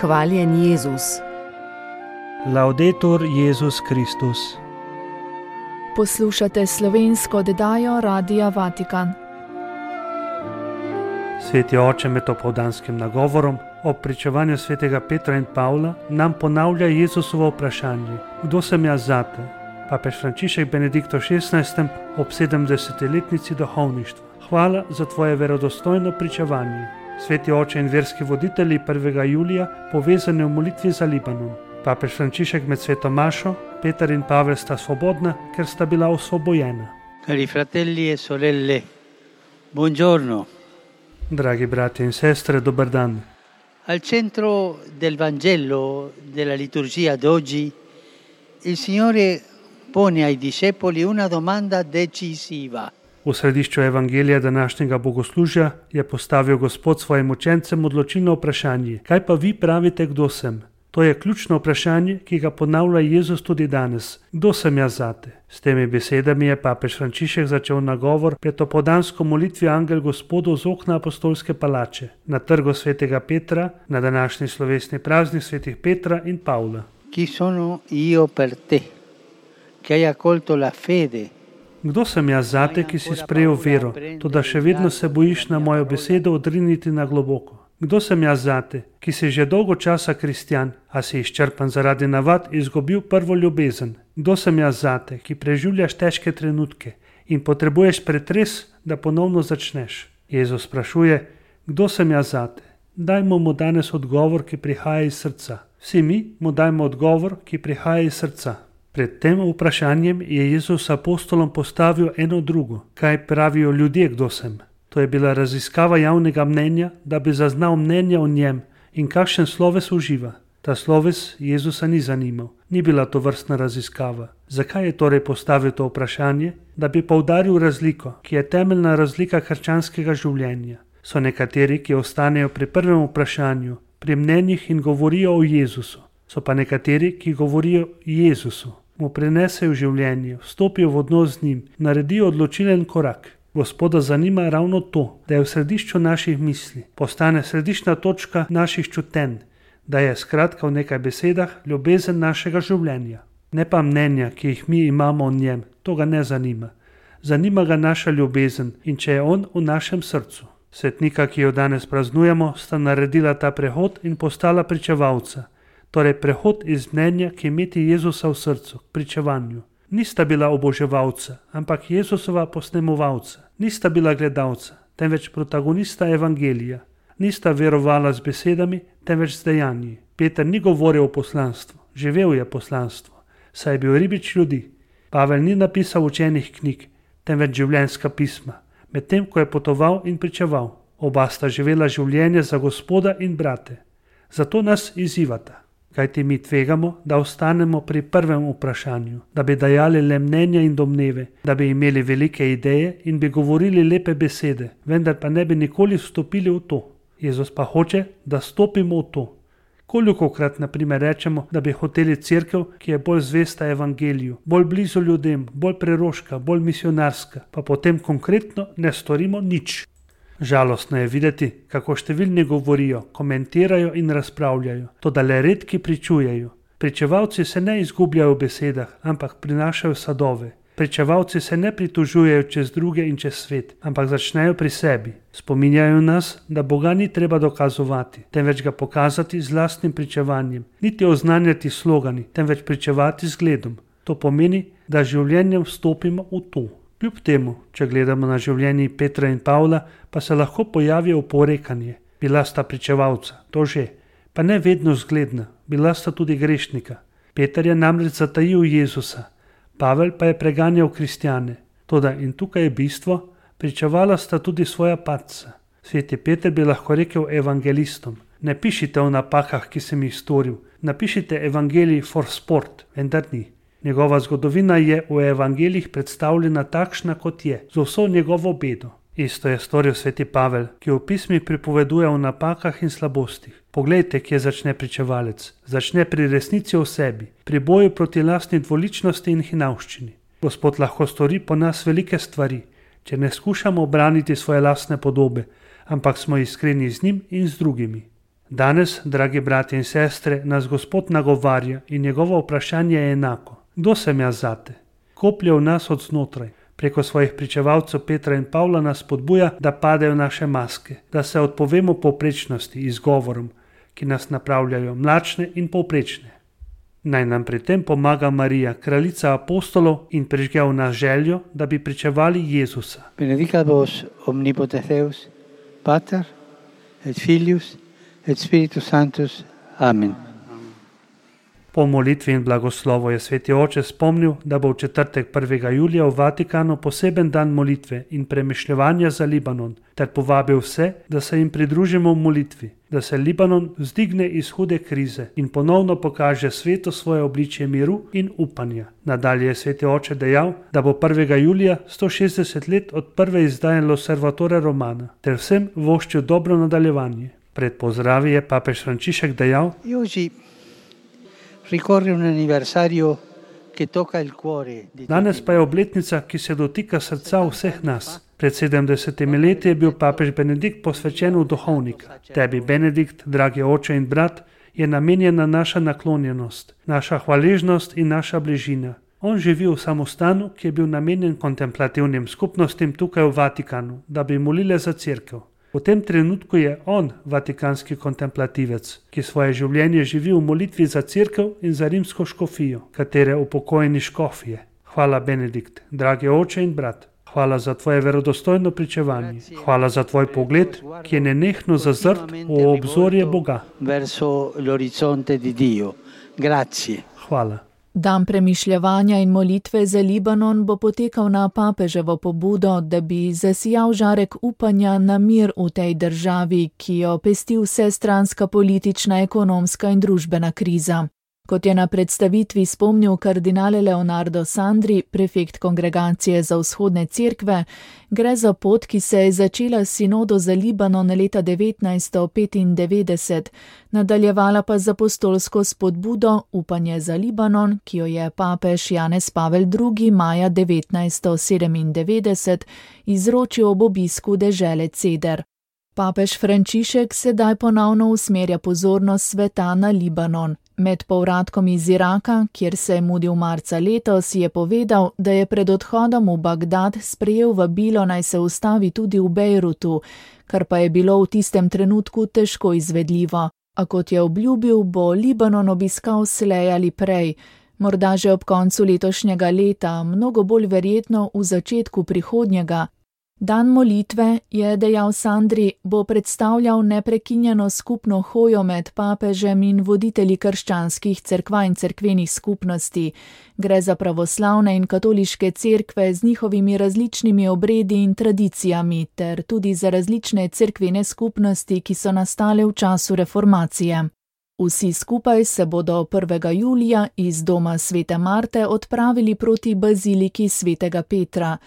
Hvaljen Jezus. Laudetur Jezus Kristus. Poslušate slovensko oddajo Radia Vatikan. Sveti oče med opoldanskim nagovorom ob pričevanju svetega Petra in Pavla nam ponavlja Jezusovo vprašanje: kdo sem jaz zate? Papež Frančišek Benedikto XVI ob 70-letnici duhovništva: hvala za tvoje verodostojno pričevanje. Sveti oče in verski voditelji 1. julija povezani v molitvi za Libanon. Papež Frančišek med sveto mašo: Peter in Pavel sta svobodna, ker sta bila osvobojena. Cari fratelli e sorelle, buongiorno. Dragi brati in sestre, dober dan. Al centro del Vangelo della liturgia d'oggi, il Signore pone ai discepoli una domanda decisiva. V središču evangelija današnjega bogoslužja je postavil Gospod svojim učencem odločilno vprašanje: kaj pa vi pravite, kdo sem? To je ključno vprašanje, ki ga ponavlja Jezus tudi danes. Kdo sem jaz zate? S temi besedami je papež Frančišek začel nagovor pred opoldansko molitvijo Angel Gospodov z okna apostolske palače, na trgu svetega Petra, na današnji slovesni praznik svetih Petra in Pavla. Chi sono io per te, che hai accolto la fede? Kdo sem jaz zate, ki si sprejel vero, toda še vedno se bojiš na mojo besedo odriniti na globoko? Kdo sem jaz zate, ki si že dolgo časa kristjan, a si izčrpan zaradi navad izgubil prvo ljubezen? Kdo sem jaz zate, ki preživljaš težke trenutke in potrebuješ pretres, da ponovno začneš? Jezus sprašuje: kdo sem jaz zate? Dajmo mu danes odgovor, ki prihaja iz srca. Vsi mi mu dajmo odgovor, ki prihaja iz srca. Pred tem vprašanjem je Jezus apostolom postavil eno drugo: kaj pravijo ljudje, kdo sem? To je bila raziskava javnega mnenja, da bi zaznal mnenja o njem in kakšen sloves uživa. Ta sloves Jezusa ni zanimal, ni bila to vrstna raziskava. Zakaj je torej postavil to vprašanje? Da bi poudaril razliko, ki je temeljna razlika krščanskega življenja. So nekateri, ki ostanejo pri prvem vprašanju, pri mnenjih in govorijo o Jezusu. So pa nekateri, ki govorijo o Jezusu, mu prinesejo življenje, vstopijo v odnos z njim, naredijo odločilen korak. Gospoda zanima ravno to, da je v središču naših misli, postane središčna točka naših čutenj, da je skratka v nekaj besedah ljubezen našega življenja. Ne pa mnenja, ki jih mi imamo o njem, to ga ne zanima. Zanima ga naša ljubezen in če je on v našem srcu. Svetnika, ki jo danes praznujemo, sta naredila ta prehod in postala pričevalca. Torej prehod iz mnenja k imeti Jezusa v srcu, k pričevanju. Nista bila oboževalca, ampak Jezusova posnemovalca. Nista bila gledalca, temveč protagonista evangelija. Nista verovala z besedami, temveč z dejanji. Peter ni govoril o poslanstvu, živel je poslanstvo, saj je bil ribič ljudi. Pavel ni napisal učenih knjig, temveč življenjska pisma, medtem ko je potoval in pričeval. Oba sta živela življenje za Gospoda in brate. Zato nas izzivata. Kajti mi tvegamo, da ostanemo pri prvem vprašanju, da bi dajali le mnenja in domneve, da bi imeli velike ideje in bi govorili lepe besede, vendar pa ne bi nikoli vstopili v to. Jezus pa hoče, da stopimo v to. Kolikokrat na primer rečemo, da bi hoteli cerkev, ki je bolj zvesta evangeliju, bolj blizu ljudem, bolj preroška, bolj misionarska, pa potem konkretno ne storimo nič. Žalostno je videti, kako številni govorijo, komentirajo in razpravljajo, toda le redki pričujejo. Pričevalci se ne izgubljajo v besedah, ampak prinašajo sadove. Pričevalci se ne pritožujejo čez druge in čez svet, ampak začnejo pri sebi. Spominjajo nas, da Boga ni treba dokazovati, temveč ga pokazati z lastnim pričevanjem, niti oznanjati slogani, temveč pričevati z zgledom. To pomeni, da življenjem vstopimo v to. Kljub temu, če gledamo na življenje Petra in Pavla, pa se lahko pojavi oporekanje. Bila sta pričevalca, to že, pa ne vedno zgledna, bila sta tudi grešnika. Peter je namreč zatajil Jezusa, Pavel pa je preganjal kristjane. Toda in tukaj je bistvo, pričevala sta tudi svoja padca. Sveti Peter bi lahko rekel evangelistom: ne pišite o napakah, ki sem jih storil, napišite evangelij for sport, vendar ni. Njegova zgodovina je v evangelijih predstavljena takšna, kot je, z vso njegovo bedo. Isto je storil sveti Pavel, ki v pismih pripoveduje o napakah in slabostih. Poglejte, kje začne pričevalec. Začne pri resnici o sebi, pri boju proti lastni dvoličnosti in hinavščini. Gospod lahko stori po nas velike stvari, če ne skušamo obraniti svoje lastne podobe, ampak smo iskreni z njim in z drugimi. Danes, dragi brati in sestre, nas Gospod nagovarja in njegovo vprašanje je enako. Kdo sem jaz zate? Koplje v nas od znotraj. Preko svojih pričevalcev Petra in Pavla nas spodbuja, da padejo naše maske, da se odpovemo povprečnosti, izgovorom, ki nas napravljajo mlačne in povprečne. Naj nam pri tem pomaga Marija, kraljica apostolov, in prižge v nas željo, da bi pričevali Jezusa. Benedicat vos omnipotens Deus, Pater, et Filius, et Spiritus Sanctus. Amen. Po molitvi in blagoslovu je sveti oče spomnil, da bo v četrtek 1. julija v Vatikanu poseben dan molitve in premišljevanja za Libanon, ter povabil vse, da se jim pridružimo v molitvi, da se Libanon vzdigne iz hude krize in ponovno pokaže svetu svoje obličje miru in upanja. Nadalje je sveti oče dejal, da bo 1. julija 160 let od prve izdaje L'Osservatore Romana, ter vsem voščil dobro nadaljevanje. Pred pozdravi je papež Frančišek dejal: Ricorre un anniversario che tocca il cuore di Danes pa je obletnica, ki se dotika srca vseh nas. Pred 70 leti je bil papež Benedikt posvečen v duhovnika. Tebi, Benedikt, dragi oče in brat, je namenjena naša naklonjenost, naša hvaležnost in naša bližina. On živi v samostanu, ki je bil namenjen kontemplativnim skupnostim tukaj v Vatikanu, da bi molile za cerkev. V tem trenutku je on vatikanski kontemplativec, ki svoje življenje živi v molitvi za cerkev in za rimsko škofijo, katere upokojeni škof je. Hvala, Benedikt, dragi oče in brat. Hvala za tvoje verodostojno pričevanje. Hvala za tvoj pogled, ki je nenehno zazrt v obzorje Boga. Hvala. Dan premišljevanja in molitve za Libanon bo potekal na papeževo pobudo, da bi zasijal žarek upanja na mir v tej državi, ki jo pesti vsestranska politična, ekonomska in družbena kriza. Kot je na predstavitvi spomnil kardinal Leonardo Sandri, prefekt Kongregacije za vzhodne cerkve, gre za pot, ki se je začela s sinodo za Libanon leta 1995, nadaljevala pa z apostolsko spodbudo Upanje za Libanon, ki jo je papež Janez Pavel II. Maja 1997 izročil ob obisku dežele Ceder. Papež Frančišek sedaj ponovno usmerja pozornost sveta na Libanon. Med povratkom iz Iraka, kjer se je mudil marca letos, je povedal, da je pred odhodom v Bagdad sprejel vabilo, naj se ustavi tudi v Bejrutu, kar pa je bilo v tistem trenutku težko izvedljivo. A kot je obljubil, bo Libanon obiskal slej ali prej, morda že ob koncu letošnjega leta, mnogo bolj verjetno v začetku prihodnjega. Dan molitve, je dejal Sandri, bo predstavljal neprekinjeno skupno hojo med papežem in voditelji krščanskih cerkva in cerkvenih skupnosti. Gre za pravoslavne in katoliške cerkve z njihovimi različnimi obredi in tradicijami, ter tudi za različne cerkvene skupnosti, ki so nastale v času reformacije. Vsi skupaj se bodo 1. julija iz doma svete Marte odpravili proti baziliki svetega Petra.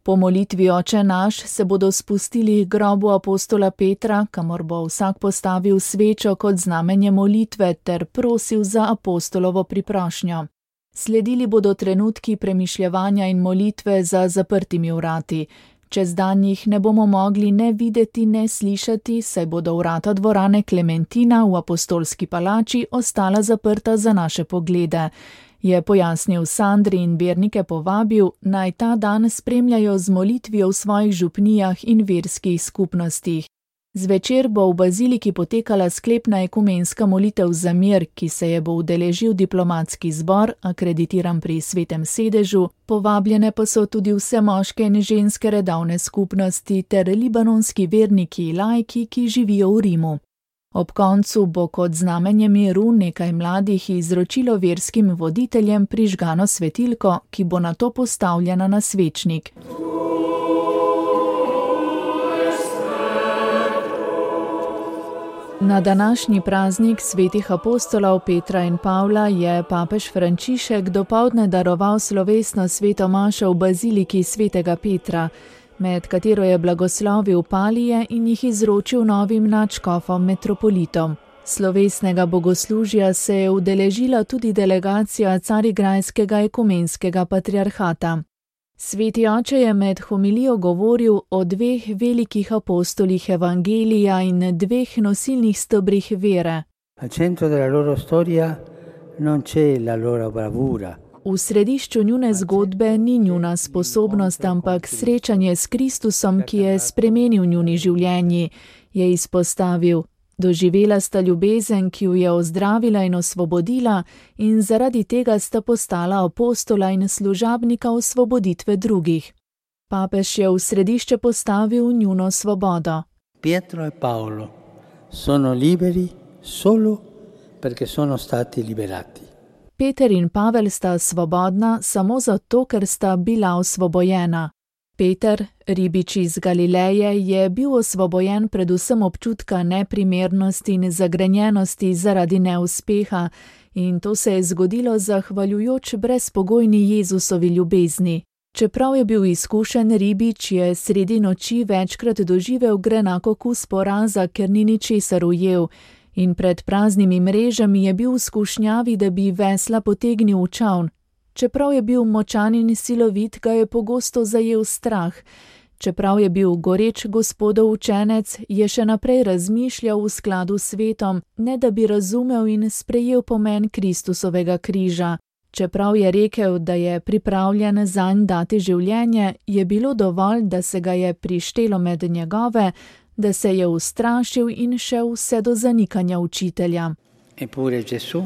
Po molitvi Oče naš se bodo spustili k grobu apostola Petra, kamor bo vsak postavil svečo kot znamenje molitve ter prosil za apostolovo priprošnjo. Sledili bodo trenutki premišljevanja in molitve za zaprtimi vrati. Čez dan jih ne bomo mogli ne videti, ne slišati, saj bodo vrata dvorane Klementina v apostolski palači ostala zaprta za naše poglede. Je pojasnil Sandri in vernike povabil, naj ta dan spremljajo z molitvijo v svojih župnijah in verskih skupnostih. Zvečer bo v baziliki potekala sklepna ekumenska molitev za mir, ki se je bo udeležil diplomatski zbor, akreditiran pri Svetem sedežu, povabljene pa so tudi vse moške in ženske redovne skupnosti ter libanonski verniki laiki, ki živijo v Rimu. Ob koncu bo kot znamenje miru nekaj mladih izročilo verskim voditeljem prižgano svetilko, ki bo nato postavljena na svečnik. Na današnji praznik svetih apostolov Petra in Pavla je papež Frančišek dopoldne daroval slovesno sveto mašo v baziliki svetega Petra, med katero je blagoslovil palije in jih izročil novim nadškofom metropolitom. Slovesnega bogoslužja se je udeležila tudi delegacija Carigrajskega ekumenskega patriarhata. Sveti oče je med homilijo govoril o dveh velikih apostolih evangelija in dveh nosilnih stebrih vere. Al centro della loro storia non c'è la loro bravura. V središču njune zgodbe ni njuna sposobnost, ampak srečanje s Kristusom, ki je spremenil njuni življenji, je izpostavil. Doživela sta ljubezen, ki ju je ozdravila in osvobodila, in zaradi tega sta postala apostola in služabnika osvoboditve drugih. Papež je v središče postavil njuno svobodo. Pietro e Paolo sono liberi solo perché sono stati liberati. Peter in Pavel sta svobodna samo zato, ker sta bila osvobojena. Peter, ribič iz Galileje, je bil osvobojen predvsem občutka neprimernosti in zagrenjenosti zaradi neuspeha, in to se je zgodilo zahvaljujoč brezpogojni Jezusovi ljubezni. Čeprav je bil izkušen ribič, je sredi noči večkrat doživel grenak okus poraza, ker ni ničesar ujel, in pred praznimi mrežami je bil v skušnjavi, da bi vesla potegnil v čavn. Čeprav je bil močan in silovit, ga je pogosto zajel strah. Čeprav je bil goreč Gospodov učenec, je še naprej razmišljal v skladu s svetom, ne da bi razumel in sprejel pomen Kristusovega križa. Čeprav je rekel, da je pripravljen zanj dati življenje, je bilo dovolj, da se ga je prištelo med njegove, da se je ustrašil in šel vse do zanikanja učitelja. Eppure Gesù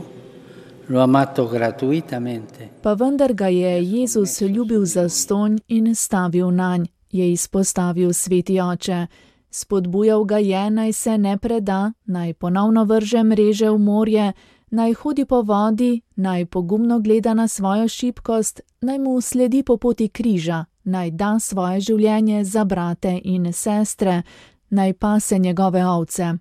lo ha amato gratuitamente. Pa vendar ga je Jezus ljubil zastonj in stavil nanj, je izpostavil sveti oče. Spodbujal ga je, naj se ne preda, naj ponovno vrže mreže v morje, naj hodi po vodi, naj pogumno gleda na svojo šibkost, naj mu sledi po poti križa, naj da svoje življenje za brate in sestre, naj pase njegove ovce.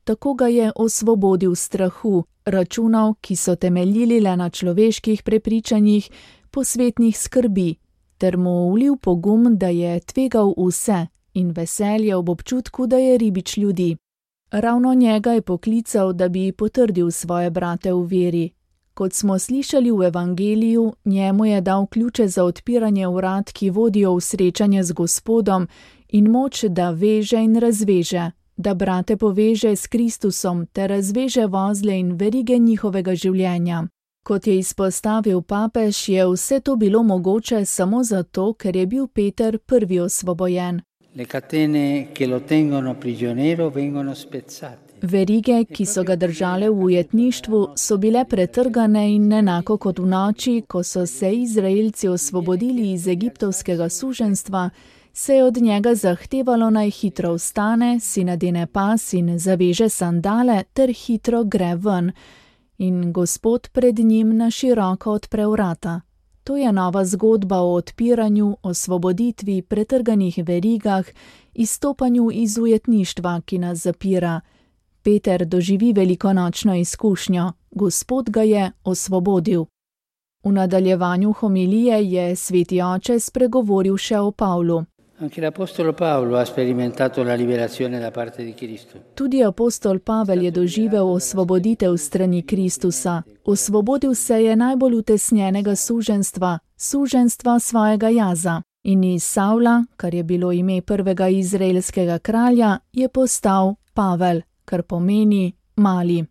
Tako ga je osvobodil strahu, računov, ki so temeljili le na človeških prepričanjih, posvetnih skrbi, ter mu vlil pogum, da je tvegal vse in veselje ob občutku, da je ribič ljudi. Ravno njega je poklical, da bi potrdil svoje brate v veri. Kot smo slišali v evangeliju, njemu je dal ključe za odpiranje vrat, ki vodijo v srečanje z Gospodom, in moč, da veže in razveže, da brate poveže s Kristusom ter razveže vozle in verige njihovega življenja. Kot je izpostavil papež, je vse to bilo mogoče samo zato, ker je bil Peter prvi osvobojen. Le catene che lo tengono prigioniero vengono spezzate. Verige, ki so ga držale v ujetništvu, so bile pretrgane in enako kot v noči, ko so se Izraelci osvobodili iz egiptovskega suženjstva, se je od njega zahtevalo, naj hitro vstane, si nadene pas in zaveže sandale ter hitro gre ven. In Gospod pred njim na široko odpre vrata. To je nova zgodba o odpiranju, osvoboditvi, pretrganih verigah, izstopanju iz ujetništva, ki nas zapira. Peter doživi velikonočno izkušnjo, Gospod ga je osvobodil. V nadaljevanju homilije je sveti oče spregovoril še o Pavlu. Anche l'apostolo Paolo ha sperimentato la liberazione da parte di Cristo. Tudi apostol Pavel je doživel osvoboditev strani Kristusa. Osvobodil se je najbolj utesnjenega suženjstva, suženjstva svojega jaza. In iz Savla, kar je bilo ime prvega izraelskega kralja, je postal Pavel, kar pomeni mali.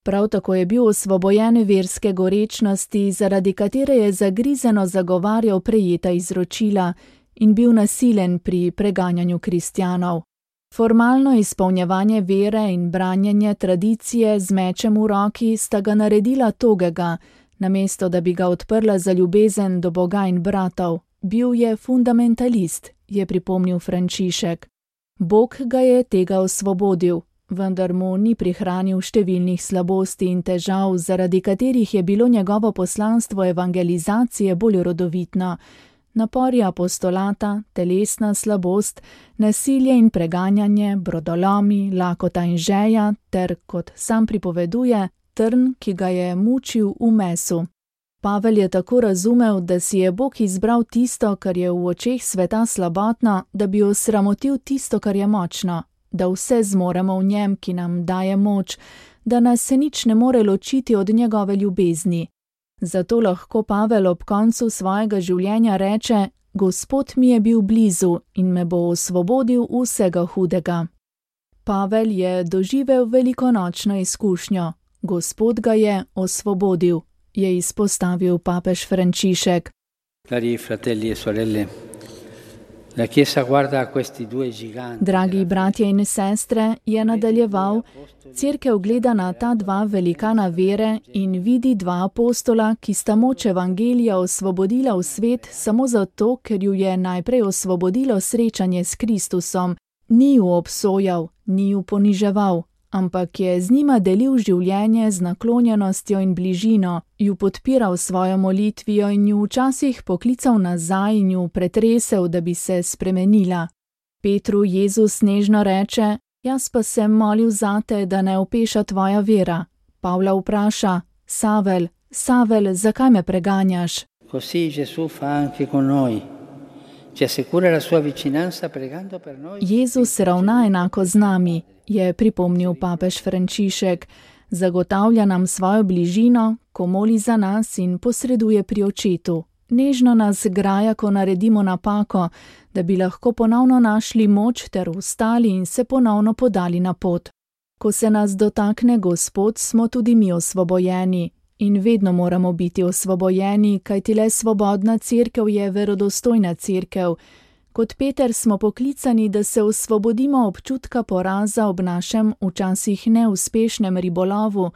Prav tako je bil osvobojen verske gorečnosti, zaradi katere je zagrizeno zagovarjal prejeta izročila in bil nasilen pri preganjanju kristjanov. Formalno izpolnjevanje vere in branjenje tradicije z mečem v roki sta ga naredila togega, namesto da bi ga odprla za ljubezen do Boga in bratov. Bil je fundamentalist, je pripomnil Frančišek. Bog ga je tega osvobodil, vendar mu ni prihranil številnih slabosti in težav, zaradi katerih je bilo njegovo poslanstvo evangelizacije bolj rodovitno. Napori apostolata, telesna slabost, nasilje in preganjanje, brodolomi, lakota in žeja ter, kot sam pripoveduje, trn, ki ga je mučil v mesu. Pavel je tako razumel, da si je Bog izbral tisto, kar je v očeh sveta slabotno, da bi osramotil tisto, kar je močno, da vse zmoremo v njem, ki nam daje moč, da nas se nič ne more ločiti od njegove ljubezni. Zato lahko Pavel ob koncu svojega življenja reče: Gospod mi je bil blizu in me bo osvobodil vsega hudega. Pavel je doživel velikonočno izkušnjo. Gospod ga je osvobodil, je izpostavil papež Frančišek. Cari fratelli e sorelle, la Chiesa guarda questi due giganti. Dragi bratje in sestre, je nadaljeval, Cerkev gleda na ta dva velikana vere in vidi dva apostola, ki sta moč evangelija osvobodila v svet samo zato, ker ju je najprej osvobodilo srečanje s Kristusom. Ni ju obsojal, ni ju poniževal, ampak je z njima delil življenje z naklonjenostjo in bližino, ju podpiral svojo molitvijo in ju včasih poklical nazaj in ju pretresel, da bi se spremenila. Petru Jezus nežno reče: Jaz pa sem molil zate, da ne opeša tvoja vera. Pavla vpraša: Savel, Savel, zakaj me preganjaš? Così Gesù fa anche con noi. Ci assicura la sua vicinanza pregando per noi. Jezus ravna enako z nami, je pripomnil papež Frančišek. Zagotavlja nam svojo bližino, ko moli za nas in posreduje pri očetu. Nežno nas graja, ko naredimo napako, da bi lahko ponovno našli moč ter vstali in se ponovno podali na pot. Ko se nas dotakne Gospod, smo tudi mi osvobojeni. In vedno moramo biti osvobojeni, kajti le svobodna cerkev je verodostojna cerkev. Kot Peter smo poklicani, da se osvobodimo občutka poraza ob našem včasih neuspešnem ribolovu,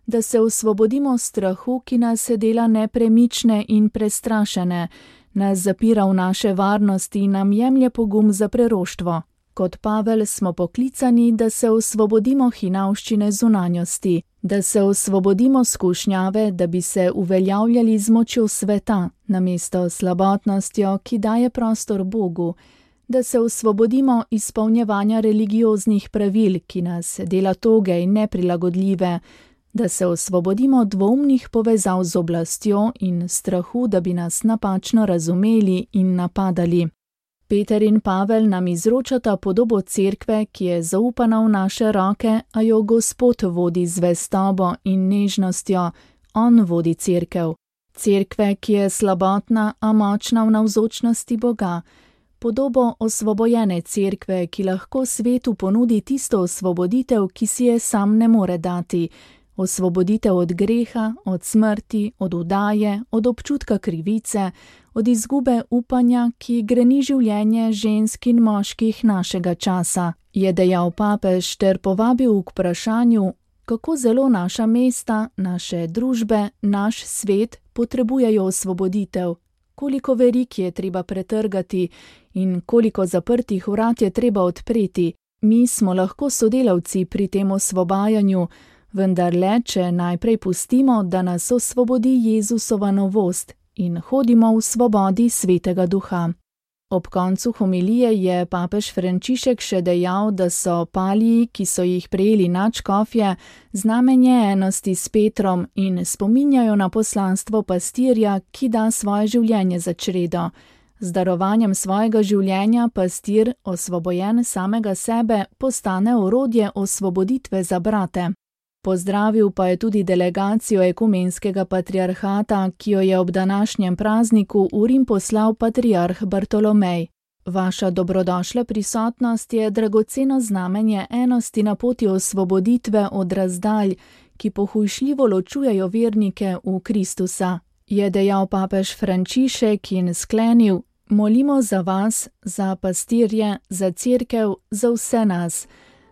da se osvobodimo strahu, ki nas dela nepremične in prestrašene, nas zapira v naše varnosti in nam jemlje pogum za preroštvo. Kot Pavel smo poklicani, da se osvobodimo hinavščine zunanjosti, da se osvobodimo skušnjave, da bi se uveljavljali z močjo sveta, namesto slabotnostjo, ki daje prostor Bogu, da se osvobodimo izpolnjevanja religioznih pravil, ki nas dela toge in neprilagodljive, da se osvobodimo dvoumnih povezav z oblastjo in strahu, da bi nas napačno razumeli in napadali. Peter in Pavel nam izročata podobo cerkve, ki je zaupana v naše roke, a jo Gospod vodi z zvestobo in nežnostjo. On vodi cerkev. Cerkve, ki je slabotna, a močna v navzočnosti Boga. Podobo osvobojene cerkve, ki lahko svetu ponudi tisto osvoboditev, ki si je sam ne more dati. Osvoboditev od greha, od smrti, od udaje, od občutka krivice, od izgube upanja, ki greni življenje žensk in moških našega časa, je dejal papež ter povabil k vprašanju, kako zelo naša mesta, naše družbe, naš svet potrebujejo osvoboditev, koliko verig je treba pretrgati in koliko zaprtih vrat je treba odpreti. Mi smo lahko sodelavci pri tem osvobajanju, vendar le, če najprej pustimo, da nas osvobodi Jezusova novost in hodimo v svobodi Svetega Duha. Ob koncu homilije je papež Frančišek še dejal, da so paliji, ki so jih prejeli nadškofje, znamenje enosti s Petrom in spominjajo na poslanstvo pastirja, ki da svoje življenje za čredo. Z darovanjem svojega življenja pastir, osvobojen samega sebe, postane orodje osvoboditve za brate. Pozdravil pa je tudi delegacijo ekumenskega patriarhata, ki jo je ob današnjem prazniku v Rim poslal patriarh Bartolomej. Vaša dobrodošla prisotnost je dragoceno znamenje enosti na poti osvoboditve od razdalj, ki pohujšljivo ločujejo vernike v Kristusa, je dejal papež Frančišek in sklenil: Molimo za vas, za pastirje, za cerkev, za vse nas,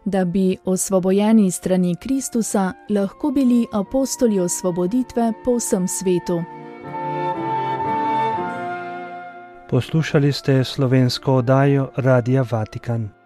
da bi osvobojeni strani Kristusa lahko bili apostoli osvoboditve po vsem svetu. Poslušali ste slovensko oddajo Radia Vatikan.